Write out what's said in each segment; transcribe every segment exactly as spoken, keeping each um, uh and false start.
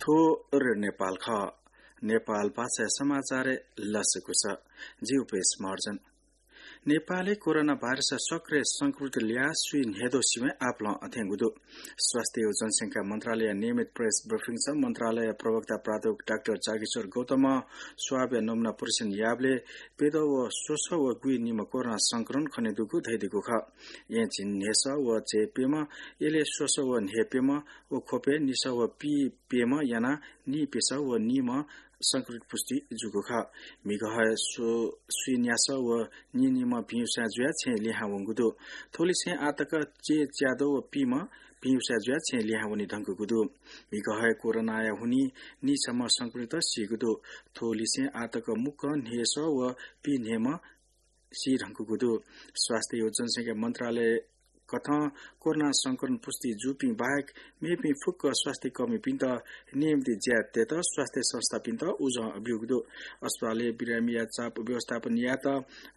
थ्व रेडियो नेपाल खः। नेपाल भाषा समाचार लसकुस। जि उपेश महर्जन। नेपालय् कोरोना भाइरस सक्रिय संक्रमित ल्याः स्वीन्हय्दँ सिबें आपालं अथेंगु दु। स्वास्थ्य व जनसंख्या मन्त्रालय नियमित प्रेस ब्रिफिङ स मन्त्रालय प्रवक्ता प्राध्यापक डाक्टर जागेश्वर गौतमं स्वाबया नमुना परीक्षण याःबलय् प्यदँ व स्वसः व गुइनिम्ह कोरोना संक्रमण खनेदुगु धयादीगु खः। येँ झिंन्हय्सः व झे प्यम्ह, यलय् स्वसः व न्हय्प्यम्ह व ख्वपय् निसः व पीप्यम्ह यानाः नीप्यसः व नीम्ह संक्रमित पुष्टि जूगु खः। म्हिगः हे स्व-, स्वीन्यासः व नीनिम्ह भिंयुसाँय् जुयाः छेँय् लिहां वंगु दु। थ्वलिसें आः तक चय्च्याद्वः व पीम्ह भिंयुसाँय् जुयाः छेँय् लिहां वने धुंकूगु दु। म्हिगः हे कोरोनाया हुनिं नीसम्ह संक्रमित सीगु दु। थ्वलिसें आः तक मुक्कं न्हय्सः व पीन्हय्म्ह सी धुंकूगु दु। स्वास्थ्य व जनसंख्या मन्त्रालय कथं कोरोना संक्रमण पुष्टि जूपिं बाहेक मेपिं फुक्क स्वास्थ्य कर्मीपिन्त नियमित ज्या तयेत स्वास्थ्य संस्थापिन्त उजं ब्यूगु दु। अस्पतालय् बिरामीया चाप व्यवस्थापन यायेत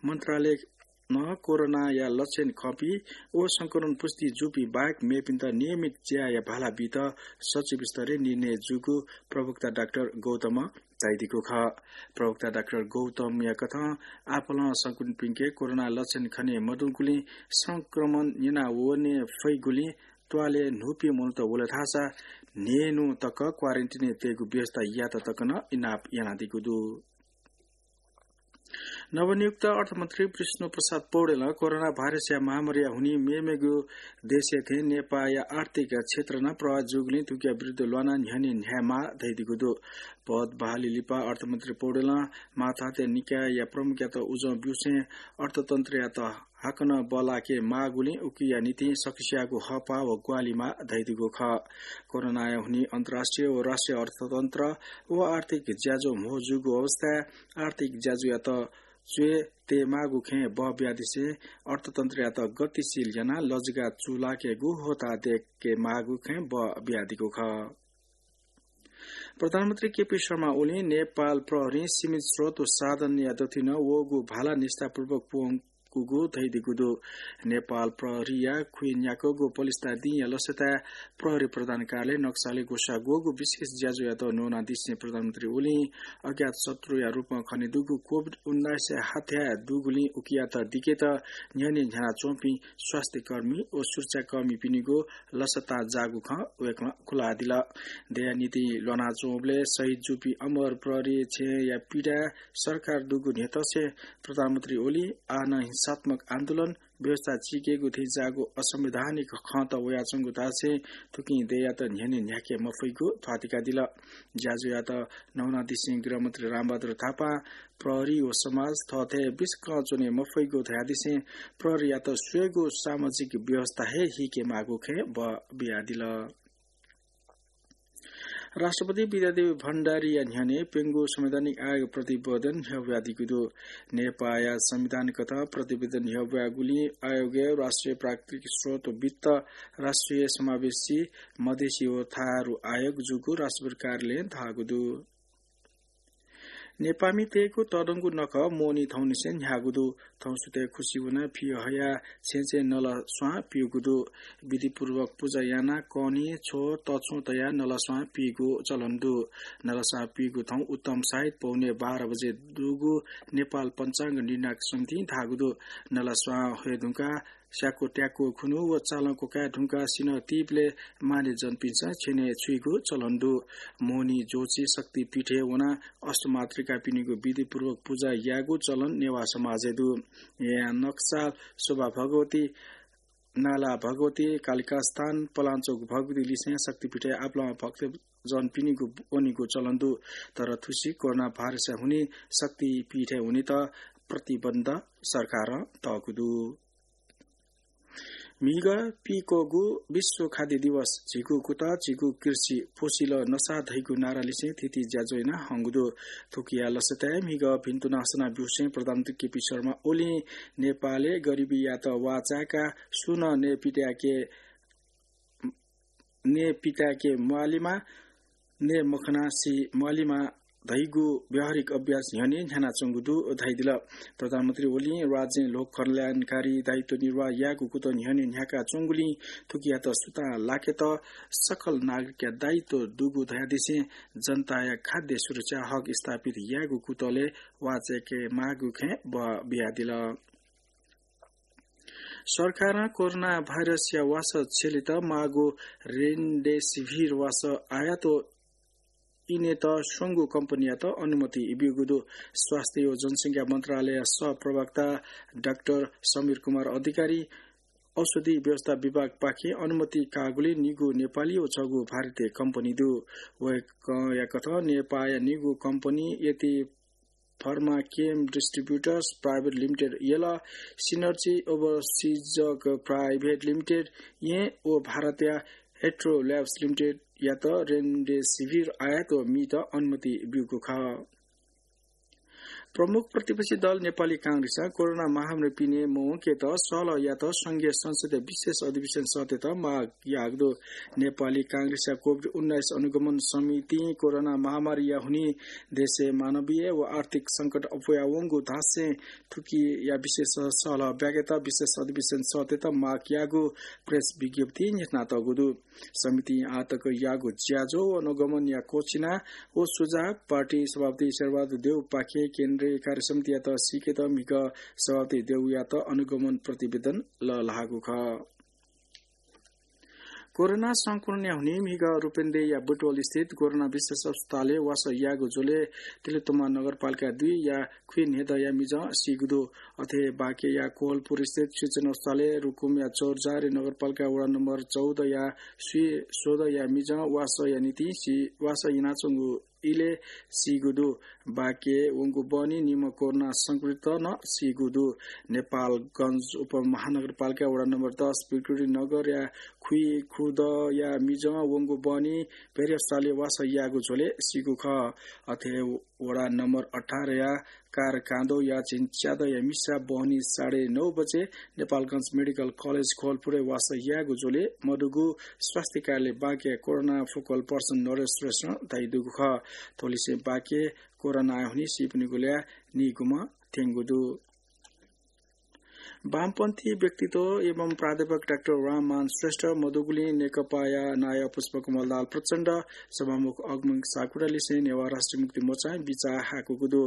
मन्त्रालयं कोरोनाया लक्षण खंपिं व संक्रमण पुष्टि जूपिं बाहेक मेपिन्त नियमित ज्याया भाला बीत सचिव स्तरय् निर्णय जूगु प्रवक्ता डाक्टर गौतमं धयादीगु खः। प्रवक्ता डाक्टर गौतमया कथं आपालं संक्रमितपिन्के कोरोना लक्षण खने मदुगुलिं संक्रमण न्यना वने फइगुलिं त्वालय् न्हूपिं मनूत वल धाःसा न्हय्न्हु तक क्वारेन्टिनय् तयेगु व्यवस्था यायेत तक नं इनाप यानादीगु दु। नवनियुक्त अर्थमन्त्री विष्णु प्रसाद पौडेलं कोरोना भाइरसया महामारीया हुनिं मेमेगु देशया थें नेपाःया आर्थिक क्षेत्र नं प्रभावित जूगुलिं थुकिया विरुद्ध ल्वानाः न्ह्यःने न्ह्यायेमाः धयादीगु दु। पद बहाली लिपा अर्थमन्त्री पौडेलं मातहतया निकायया प्रमुखयात उजं ब्यूसें अर्थतन्त्रयात हाकनं बल्लाके माःगुलिं उकिया निंतिं सकसियागु हःपाः व ग्वाहालि माः धयादीगु खः। कोरोनाया हुनिं अन्तर्राष्ट्रिय व राष्ट्रिय अर्थतन्त्र व आर्थिक ज्याझ्वः म्हो जूगु अवस्थाय् आर्थिक ज्याझ्वःयात च्वय् तयेमाःगु खँय् बः बियादिसें अर्थतन्त्रयात गतिशील यानाः लजगाः चूलाकेगु होता दयेकेमाःगु खँय् बः बियादीगु खः। प्रधानमन्त्री केपी शर्मा ओलीं नेपाल प्रहरीं सीमित स्रोत व साधनया दथुइ नं वःगु भाला निष्ठापूर्वक पूवंकूगु धयादीगु दु। नेपाल प्रहरीया खुइन्याक्वःगु पलिस्था दिंया लसताय् प्रहरी प्रधान कार्यालय नक्सालय् ग्वसाः ग्वःगु विशेष ज्याझ्वःयात न्वनादिसें प्रधानमन्त्री ओलीं अज्ञात शत्रुया रूपं खनेदुगु कोभिड उन्नाइस हथ्याः दुगुलिं उकियात दिकेत न्ह्यःने न्ह्यानाच्वंपिं स्वास्थ्यकर्मी व सुरक्षाकर्मीपिनिगु लसतां जाःगु खँ वय्कलं खुलादिल। देय्या निंतिं ल्वानाच्वंबलय् शहीद जूपिं अमर प्रहरी छेँया पीडाय् सरकार दुगु न्ह्यथंसें प्रधानमन्त्री ओलीं आः नं हिंसात्मक आन्दोलन, व्यवस्था चीकेगु थें जाःगु असंवैधानिक खँत वयाच्वंगु धासें थुकिं देय्यात न्ह्यःने न्ह्याके मफइगु ध्वातिकादिल। ज्याझ्वःयात न्वनादिसें गृहमन्त्री रामबहादुर थापां प्रहरी व समाज थःथें बिस्कं च्वने मफइगु धयादिसें प्रहरीयात स्वयेगु सामाजिक व्यवस्था हे हीकेमाःगु खँय् बः बियादिल। राष्ट्रपति विद्यादेवी भण्डारीया न्ह्यःने प्यंगू संवैधानिक आयोग प्रतिवेदन न्ह्यब्वयादीगु दु। नेपाःया संविधान कथं प्रतिवेदन न्ह्यब्वयागुलिं आयोगय् राष्ट्रिय प्राकृतिक स्रोत, वित्त, राष्ट्रिय समावेशी, मधेसी व थारु आयोग जूगु राष्ट्रपति कार्यालयं धाःगु दु। नेपाःमितय्गु तःधंगु नखः मोहनी थौंनिसें न्ह्याःगु दु। थौं सुथय् खुसि वनाः फि हयाः छेँछेँ नलस्वां पीगु दु। विधिपूर्वक पुजा यानाः कनी, छ्व, तछ्व तयाः नलस्वां पीगु चलन दु। नलस्वां पीगु थौं उत्तम साइत पौने बाह्र बजे दुगु नेपाल पञ्चाङ्ग निर्णायक समितिं धाःगु दु। नलस्वां हये धुंकाः स्याक्व त्याक्व खुन्हु व चालं क्वकाये धुंकाः सिन्हः तीबलय् माने जनपिन्सं छ्यनय् छुइगु चलन दु। मोहनी ज्योतिषी शक्तिपीठय् वनाः अष्टमातृकापिनिगु विधिपूर्वक पुजा यायेगु चलन नेवाः समाजय् दु। येँया नक्साल शोभा भगवती, नाला भगवती, कालिकास्थान, पलाञ्चोक भगवती लिसें शक्तिपीठय् आपालं भक्तजनपिनिगु वनेगु चलन दु। तर थुसी कोरोना भाइरसया हुनिं शक्तिपीठय् वनेत प्रतिबन्ध सरकारं तःगु दु। म्हिगः पीक्वःगु विश्व खाद्य दिवस झीगु कुतः, झीगु कृषि पोसिल नसा धइगु नारा लिसें थीथी ज्याझ्वः याना हंगु दु। थुकिया लसताय् म्हिगः भिन्तुना सना ब्यूसें प्रधानमन्त्री केपी शर्मा ओलीं नेपालय् गरिबीयात वाःचाय्काः सुं नं नयेपित्याके, नयेपित्याके म्वालेमा, नये मखनाः सी म्वालेमा धइगु व्यावहारिक अभ्यास न्ह्यःने न्ह्यानाच्वंगु दु धयादिल। प्रधानमन्त्री ओलीं राज्यं लोक कल्याणकारी दायित्व निर्वाह यायेगु कुतः न्ह्यःने न्ह्याकाच्वंगुलिं थुकियात सुतां लाकेत सकल नागरिकया दायित्व दुगु धयादिसें जनताया खाद्य सुरक्षा हक स्थापित यायेगु कुतलय् वाः चायेके माःगु खँय् बः बियादिल। सरकारं कोरोना भाइरसया वासः छ्यलेत माःगु रेमडेसिभिर वासः आयात इनेत स्वंगू कम्पनीयात अनुमति ब्यूगु दु। स्वास्थ्य व जनसंख्या मन्त्रालय सहप्रवक्ता डाक्टर समीर कुमार अधिकारी औषधि व्यवस्था विभागपाखें अनुमति काःगुलिं निगू नेपाली व छगू भारतीय कम्पनी दु। वय्कःया कथं नेपाःया निगू कम्पनी यति Pharmachem Distributors Private Limited यल, Synergy Overseas Private Limited येँ व भारतया Hetero Labs Limited यात रेमडेसिभिर आयात व मीत अनुमति ब्यूगु खः। प्रमुख प्रतिपक्षी दल नेपाली कांग्रेसं कोरोना महामारी पिने मवंकेत सहलह यात संघीय संसदया विशेष अधिवेशन सःतेत माग याःगु दु। नेपाली कांग्रेसया कोभिड उन्नाइस अनुगमन समितिं कोरोना महामारीया हुनिं देशय् मानवीय व आर्थिक संकट अप्वयावंगु धासें थुकिया विशेष सहलह ब्याकेत विशेष अधिवेशन सःतेत माग याःगु प्रेस विज्ञप्ति न्ह्यथनातःगु दु। समितिं आःतक याःगु ज्याझ्वः व अनुगमनया क्वःछिना व सुझाव पार्टी सभापति शेरबहादुर देउपाखें केन्द्रीय कार्यसमितियात सीकेत म्हिगः सभापति देउयात अनुगमन प्रतिवेदन लःल्हाःगु खः। कोरोना संक्रमणया हुनिं म्हिगः रूपन्देहीया बुटवल स्थित कोरोना विशेष अस्पतालय् वासः याःगु झ्वलय् तिलोत्तमा नगरपालिका दुईया खुइन्हेदँया मिजं सीगु दु। अथे बाँकेया कोहलपुर स्थित शिक्षण अस्पतालय् रुकुमया चौरझारी नगरपालिका वडा नम्बर चौधया स्वीस्वदँया मिजं वासःया निंतिं सी-, वासः यानाच्वंगु इलय् सीगु दु। बाँके वंगु बहनी निम्ह कोरोना संक्रमित नं सीगु दु। नेपालगञ्ज उपमहानगरपालिका वडा नम्बर दस विक्टोरी नगरया खुइखुदँया मिजं वंगु बहनी भेरी अस्पतालय् वासः याःगु झ्वलय् सीगु खः। अथे वडा नम्बर अठारया कारकाँदोया झिंच्यादँया मिसा बहनी साढे नौ बजे नेपालगञ्ज मेडिकल कलेज कोहलपुरय् वासः याःगु झ्वलय् मदुगु स्वास्थ्य कार्यालय बाँकेया कोरोना फोकल पर्सन नरेश श्रेष्ठं धयादीगु खः। थ्व लिसें बाँके कोरोनाया हुनिं सीपिनिगु ल्याः निगूम्ह थ्यंगु दु। वामपन्थी व्यक्तित्व एवं प्राध्यापक डाक्टर राममान श्रेष्ठ मदुगुलिं नेकपाया नायः पुष्पकमल दाहाल प्रचण्ड, सभामुख अग्निमित्र सापकोटा लिसें नेवाः राष्ट्रिय मुक्ति मोर्चां बिचाः हाकूगु दु।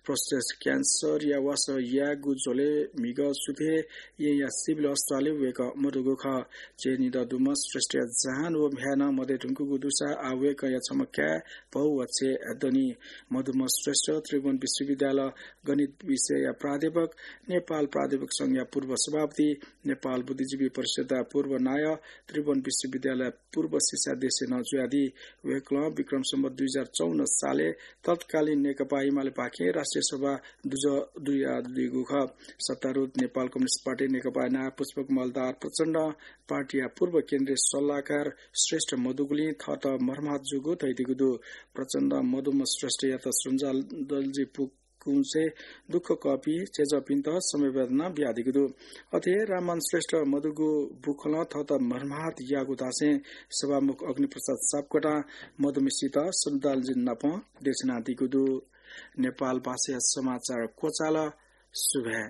प्रोस्टेट क्यान्सरया वासः याःगु झ्वलय् म्हिगः सुथय् येँया सिभिल अस्पतालय् वय्कः मदुगु खः। चय्निदँ दुम्ह श्रेष्ठया जहान व म्ह्याय् नं मदये धुंकूगु दुसा आः वय्कःया छम्ह काय्, भौ व छय् दनि। मदुम्ह श्रेष्ठ त्रिभुवन विश्वविद्यालय गणित विषयया प्राध्यापक, नेपाल प्राध्यापक संघया पूर्व सभापति, नेपाल बुद्धिजीवी परिषद्या पूर्व नायः, त्रिभुवन विश्वविद्यालय पूर्व शिक्षाध्यक्ष नं जुयादी। वय्कलं विक्रम सम्वत दुई हजार चौवन्न सालय् तत्कालीन नेकपा एमालेपाखें राष्ट्रिय सभा दुजः जुयादीगु खः। सत्तारूढ नेपाल कम्युनिस्ट पार्टी नेकपाया नायः पुष्पकमल दाहाल प्रचण्डं पार्टीया पूर्व केन्द्रीय सल्लाहकार श्रेष्ठ मदुगुलिं थःत मर्माहत जूगु धयादीगु दु। प्रचण्डं मदुम्ह श्रेष्ठयात श्रद्धाञ्जली पुकुंसे दुःख कःपिं चेजःपिन्त समवेदना बियादीगु दु। अथे राममान श्रेष्ठ मदुगु बुखलं थःत मर्माहत याःगु धासें सभामुख अग्निप्रसाद सापकोटां मदुम्हसित श्रद्धाञ्जली नापं देछानादीगु दु। नेपाल भाषाया समाचार क्वचाल। सुभाय्।